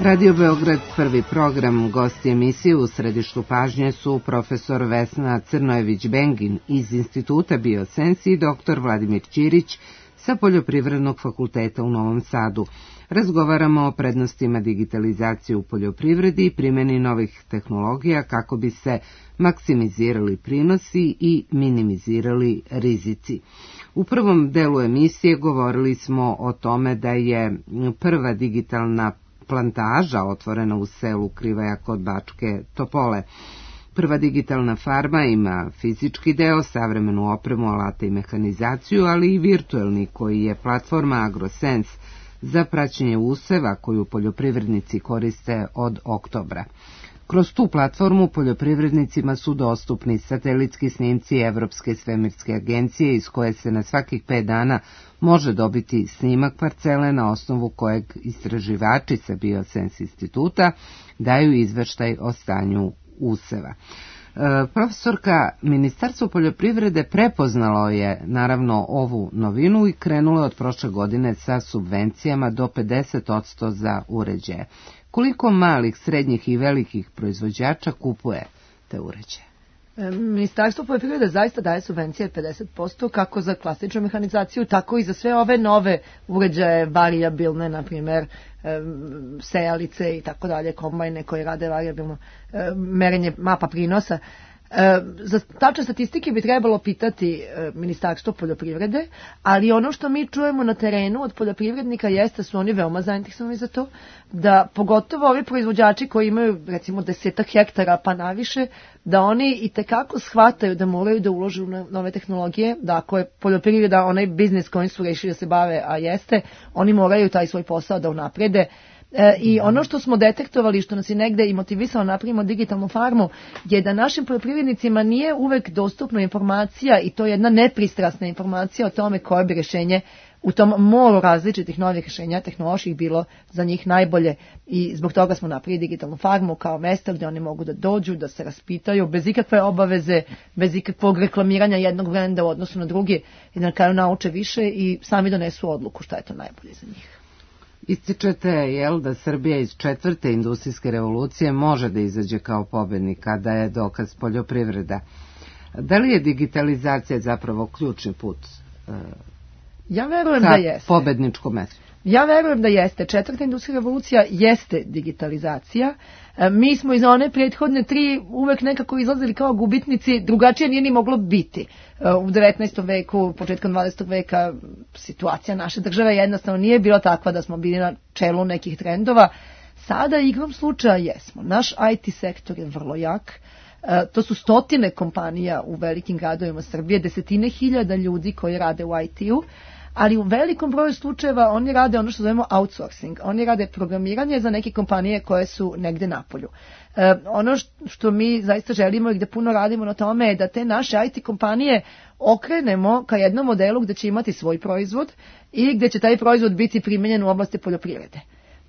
Radio Beograd, prvi program. Gosti emisije u središtu pažnje su profesor Vesna Crnojević-Bengin iz Instituta Biosensi i doktor Vladimir Ćirić sa Poljoprivrednog fakulteta u Novom Sadu. Razgovaramo o prednostima digitalizacije u poljoprivredi i primjeni novih tehnologija kako bi se maksimizirali prinosi i minimizirali rizici. U prvom delu emisije govorili smo o tome da je prva digitalna plantaža otvorena u selu Krivaja kod Bačke Topole. Prva digitalna farma ima fizički deo, savremenu opremu, alate i mehanizaciju, ali i virtuelni koji je platforma AgroSense za praćenje useva koju poljoprivrednici koriste od oktobra. Kroz tu platformu poljoprivrednicima su dostupni satelitski snimci Evropske svemirske agencije iz koje se na svakih pet dana može dobiti snimak parcele na osnovu kojeg istraživači sa Biosense instituta daju izveštaj o stanju useva. E, profesorka, Ministarstvo poljoprivrede prepoznalo je naravno ovu novinu i krenulo je od prošle godine sa subvencijama do pedeset posto za uređaje. Koliko malih, srednjih i velikih proizvođača kupuje te uređaje? Ministarstvo poljoprivrede zaista daje subvencije pedeset posto kako za klasičnu mehanizaciju, tako i za sve ove nove uređaje varijabilne, na primjer sejalice i tako dalje, kombajne koje rade varijabilno merenje mapa prinosa. Za tačne statistike bi trebalo pitati Ministarstvo poljoprivrede, ali ono što mi čujemo na terenu od poljoprivrednika jeste da su oni veoma zainteresovani za to, da pogotovo ovi proizvođači koji imaju recimo desetak hektara pa naviše, da oni i tekako shvataju da moraju da ulože u nove tehnologije, da ako je poljoprivreda onaj biznis kojim su rešili da se bave, a jeste, oni moraju taj svoj posao da unaprede. E, I ono što smo detektovali, što nas je negde i motivisalo napravimo digitalnu farmu, je da našim poljoprivrednicima nije uvek dostupna informacija i to je jedna nepristrasna informacija o tome koje bi rešenje u tom moru različitih novih rešenja tehnoloških bilo za njih najbolje i zbog toga smo napravili digitalnu farmu kao mesto gdje oni mogu da dođu, da se raspitaju bez ikakve obaveze, bez ikakvog reklamiranja jednog brenda u odnosu na drugi i na kraju nauče više i sami donesu odluku šta je to najbolje za njih. Ističete, jel, da Srbija iz četvrte industrijske revolucije može da izađe kao pobednik, kada je dokaz poljoprivreda. Da li je digitalizacija zapravo ključni put e, ja verujem ka da jeste. pobedničkom mestu? Ja verujem da jeste. Četvrta industrijska revolucija jeste digitalizacija. E, mi smo iz one prethodne tri uvek nekako izlazili kao gubitnici, drugačije nije ni moglo biti. E, u devetnaestom veku, početkom dvadesetog veka situacija naše države jednostavno nije bila takva da smo bili na čelu nekih trendova. Sada igrom slučaja jesmo. Naš I T sektor je vrlo jak. E, to su stotine kompanija u velikim gradovima Srbije, desetine hiljada ljudi koji rade u I T-u. Ali u velikom broju slučajeva oni rade ono što zovemo outsourcing. Oni rade programiranje za neke kompanije koje su negde napolju. E, ono što mi zaista želimo i gde puno radimo na tome je da te naše I T kompanije okrenemo ka jednom modelu gde će imati svoj proizvod i gde će taj proizvod biti primenjen u oblasti poljoprivrede.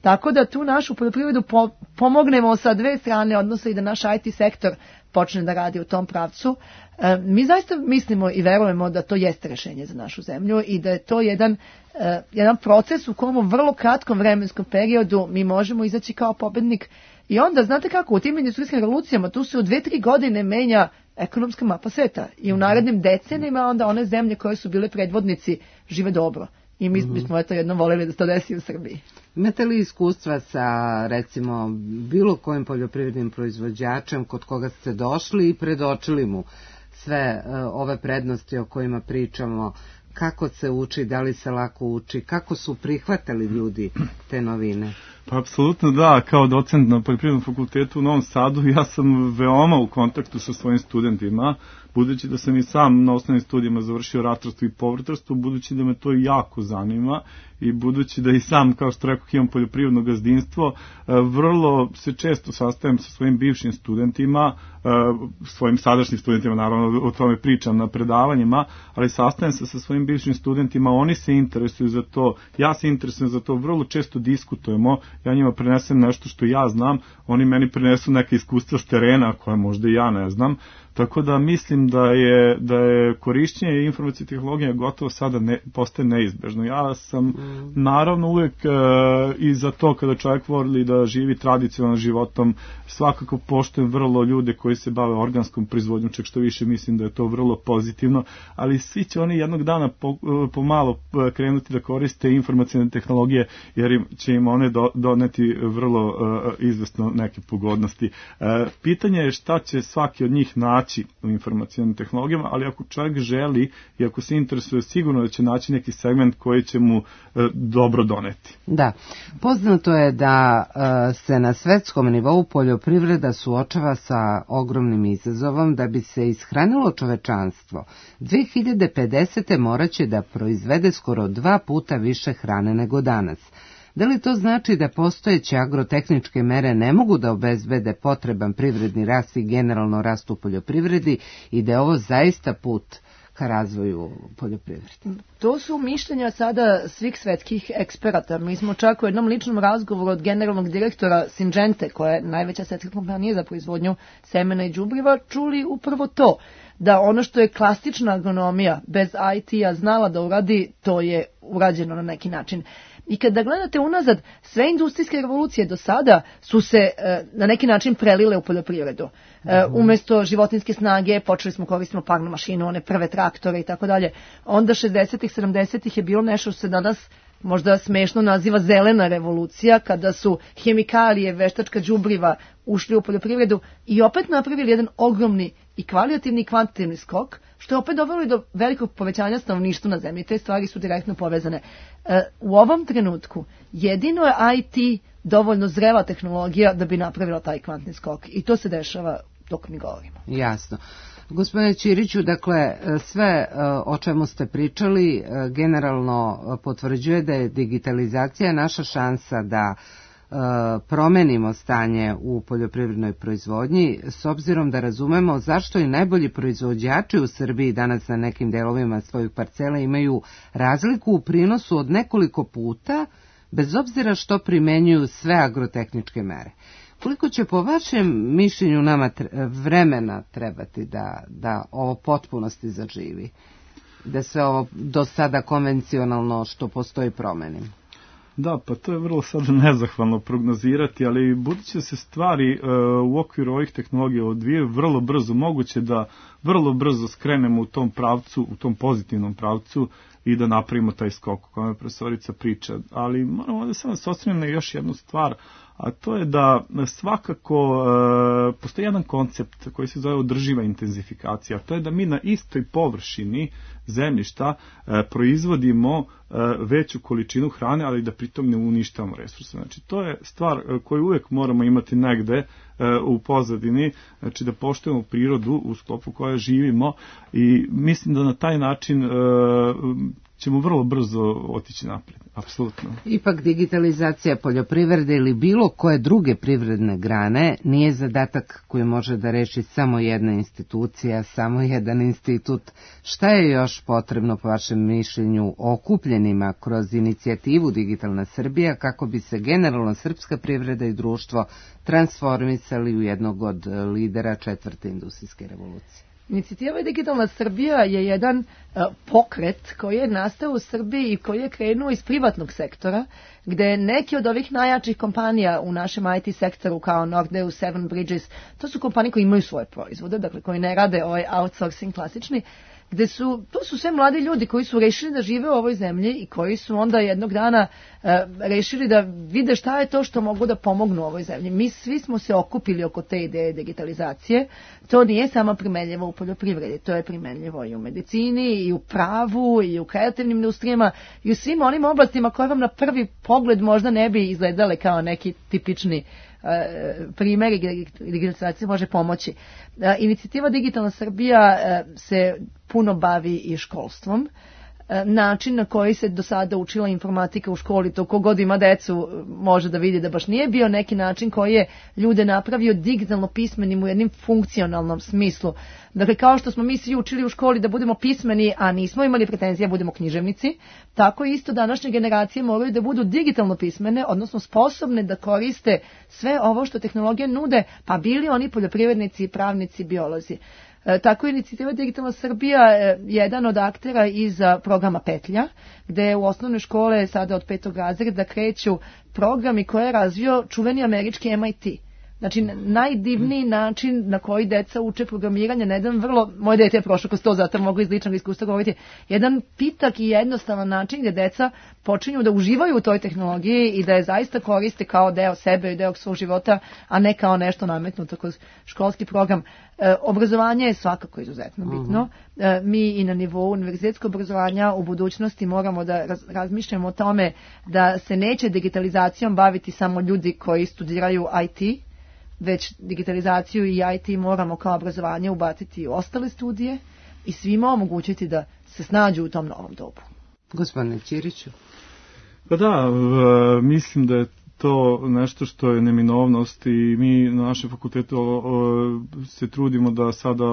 Tako da tu našu poljoprivredu po, pomognemo sa dve strane, odnosno i da naš I T sektor počne da radi u tom pravcu. E, mi zaista mislimo i verujemo da to jeste rešenje za našu zemlju i da je to jedan, e, jedan proces u kom u vrlo kratkom vremenskom periodu mi možemo izaći kao pobednik. I onda, znate kako, u tim industrijskim revolucijama tu se u dve, tri godine menja ekonomska mapa sveta i u narednim decenijima onda one zemlje koje su bile predvodnici žive dobro. I mi bismo eto jednom voljeli da se to desi u Srbiji. Imate li iskustva sa, recimo, bilo kojim poljoprivrednim proizvođačem kod koga ste došli i predočili mu sve uh, ove prednosti o kojima pričamo, kako se uči, da li se lako uči, kako su prihvatali ljudi te novine? Pa apsolutno da, kao docent na Poljoprivrednom fakultetu u Novom Sadu ja sam veoma u kontaktu sa svojim studentima, budući da sam i sam na osnovnim studijama završio ratarstvo i povrtarstvo, budući da me to jako zanima i budući da i sam, kao što rekao, imam poljoprivredno gazdinstvo, vrlo se često sastajem sa svojim bivšim studentima, svojim sadašnjim studentima, naravno o tome pričam na predavanjima, ali sastajem se sa svojim bivšim studentima, oni se interesuju za to, ja se interesujem za to, vrlo često diskutujemo, ja njima prenesem nešto što ja znam, oni meni prenesu neke iskustva s terena koje možda i ja ne znam, Tako da mislim da je, da je korišćenje informacijske tehnologije gotovo sada ne, postaje neizbežno. Ja sam mm. naravno uvek e, i za to kada čovjek voli da živi tradicionalnim životom, svakako poštujem vrlo ljude koji se bave organskom proizvodnjom, čak što više mislim da je to vrlo pozitivno, ali svi će oni jednog dana po, pomalo krenuti da koriste informacijne tehnologije, jer im, će im one do, doneti vrlo uh, izvesno neke pogodnosti. Uh, pitanje je šta će svaki od njih naći u informacijnim tehnologijama, ali ako čovjek želi i ako se interesuje, sigurno da će naći neki segment koji će mu uh, dobro doneti. Da, poznato je da uh, se na svetskom nivou poljoprivreda suočava sa ogromnim izazovom da bi se ishranilo čovečanstvo. dve hiljade pedesete moraće da proizvede skoro dva puta više hrane nego danas. Da li to znači da postojeće agrotehničke mere ne mogu da obezbede potreban privredni rast i generalno rast u poljoprivredi i da je ovo zaista put ka razvoju poljoprivrede? To su mišljenja sada svih svetskih eksperata. Mi smo čak u jednom ličnom razgovoru od generalnog direktora Syngente, koja je najveća svetska kompanija za proizvodnju semena i đubriva, čuli upravo to, da ono što je klasična agronomija bez I T-a znala da uradi, to je urađeno na neki način. I kada gledate unazad, sve industrijske revolucije do sada su se e, na neki način prelile u poljoprivredu. E, umjesto životinjske snage počeli smo koristiti parnu mašinu, one prve traktore i tako dalje. Onda šezdesetih, sedamdesetih je bilo nešto što se danas možda smešno naziva zelena revolucija, kada su hemikalije, veštačka đubriva ušli u poljoprivredu i opet napravili jedan ogromni i kvalitativni i kvantitativni skok, što je opet dovelo do velikog povećanja stanovništva na zemlji. Te stvari su direktno povezane. E, u ovom trenutku jedino je I T dovoljno zrela tehnologija da bi napravila taj kvantni skok. I to se dešava dok mi govorimo. Jasno. Gospodine Ćiriću, dakle, sve o čemu ste pričali generalno potvrđuje da je digitalizacija naša šansa da promenimo stanje u poljoprivrednoj proizvodnji, s obzirom da razumemo zašto i najbolji proizvođači u Srbiji danas na nekim delovima svojih parcela imaju razliku u prinosu od nekoliko puta, bez obzira što primenjuju sve agrotehničke mere. Koliko će po vašem mišljenju nama vremena trebati da, da ovo potpunosti zaživi? Da se ovo do sada konvencionalno što postoji promeni? Da, pa to je vrlo sada nezahvalno prognozirati, ali budući da se stvari e, u okviru ovih tehnologija odvijaju vrlo brzo, moguće da vrlo brzo skrenemo u tom pravcu, u tom pozitivnom pravcu i da napravimo taj skok o kojem je profesorica priča. Ali moramo da samo se osvrnemo na još jednu stvar, a to je da svakako e, postoji jedan koncept koji se zove održiva intenzifikacija, a to je da mi na istoj površini zemljišta e, proizvodimo e, veću količinu hrane, ali da pritom ne uništavamo resurse. Znači, to je stvar koju uvijek moramo imati negde e, u pozadini, znači da poštujemo prirodu u sklopu koja živimo i mislim da na taj način e, ćemo vrlo brzo otići naprijed, apsolutno. Ipak digitalizacija poljoprivrede ili bilo koje druge privredne grane nije zadatak koji može da reši samo jedna institucija, samo jedan institut. Šta je još potrebno po vašem mišljenju okupljenima kroz inicijativu Digitalna Srbija kako bi se generalno srpska privreda i društvo transformisali u jednog od lidera četvrte industrijske revolucije? Inicijativa Digitalna Srbija je jedan uh, pokret koji je nastao u Srbiji i koji je krenuo iz privatnog sektora, gde neki od ovih najjačih kompanija u našem I T sektoru kao Nordeus, Seven Bridges, to su kompanije koji imaju svoje proizvode, dakle koji ne rade ovaj outsourcing klasični, gde su, to su sve mladi ljudi koji su rešili da žive u ovoj zemlji i koji su onda jednog dana e, rešili da vide šta je to što mogu da pomognu ovoj zemlji. Mi svi smo se okupili oko te ideje digitalizacije. To nije samo primenljivo u poljoprivredi, to je primenljivo i u medicini, i u pravu, i u kreativnim industrijama, i u svim onim oblastima koje vam na prvi pogled možda ne bi izgledale kao neki tipični primjeri gdje digitalizacija može pomoći. Inicijativa Digitalna Srbija se puno bavi i školstvom. Način na koji se do sada učila informatika u školi, to kogod ima decu može da vidi da baš nije bio neki način koji je ljude napravio digitalno pismenim u jednom funkcionalnom smislu. Dakle, kao što smo mi svi učili u školi da budemo pismeni, a nismo imali pretenzije da budemo književnici, tako isto današnje generacije moraju da budu digitalno pismene, odnosno sposobne da koriste sve ovo što tehnologije nude, pa bili oni poljoprivrednici, pravnici, biolozi. E, tako je inicijativa Digitalna Srbija e, jedan od aktera iz programa Petlja, gde u osnovne škole sada od petog razreda kreću programi koje je razvio čuveni američki M I T. Znači, najdivniji način na koji deca uče programiranje, na jedan vrlo, moje dete je prošlo kroz to, zato mogu iz ličnog iskustva govoriti, jedan pitak i jednostavan način gdje deca počinju da uživaju u toj tehnologiji i da je zaista koriste kao deo sebe i deo svog života, a ne kao nešto nametnuto kroz školski program. E, obrazovanje je svakako izuzetno bitno. E, mi i na nivou univerzitetskog obrazovanja u budućnosti moramo da raz, razmišljamo o tome da se neće digitalizacijom baviti samo ljudi koji studiraju I T, već digitalizaciju i I T moramo kao obrazovanje ubaciti u ostale studije i svima omogućiti da se snađu u tom novom dobu. Gospodine Ćiriću. Pa da, mislim da je to nešto što je neminovnost i mi na našem fakultetu se trudimo da sada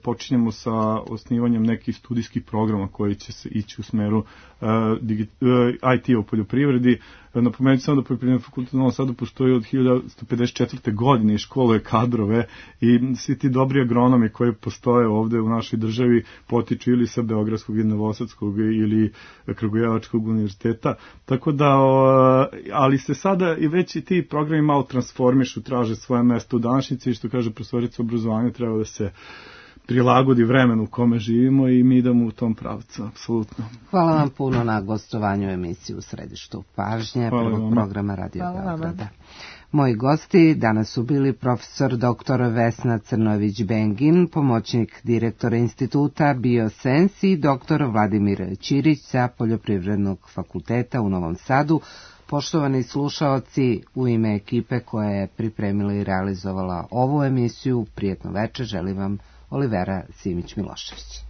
počinjemo sa osnivanjem nekih studijskih programa koji će se ići u smeru I T u poljoprivredi. Napomenuti samo da Poljoprivredni fakultet u Novom Sadu postoji od hiljadu devetsto pedeset četvrte. godine i školuje kadrove i svi ti dobri agronomi koji postoje ovde u našoj državi potiču ili sa Beogradskog ili Novosadskog ili Kragujevačkog univerziteta. Tako da, ali se sada i već i ti programi malo transformišu, traže svoje mesto u današnjici i što kaže profesorica obrazovanja treba da se prilagodi vremenu u kome živimo i mi idemo u tom pravcu, apsolutno. Hvala vam puno na gostovanju emisiji U središtu pažnje prvog programa Radio Beograda. Moji gosti danas su bili profesor doktor Vesna Crnović-Bengin, pomoćnik direktora instituta Biosens i doktor Vladimir Ćirić sa Poljoprivrednog fakulteta u Novom Sadu. Poštovani slušaoci, u ime ekipe koja je pripremila i realizovala ovu emisiju, prijetno večer, želim vam Olivera Simić-Milošević.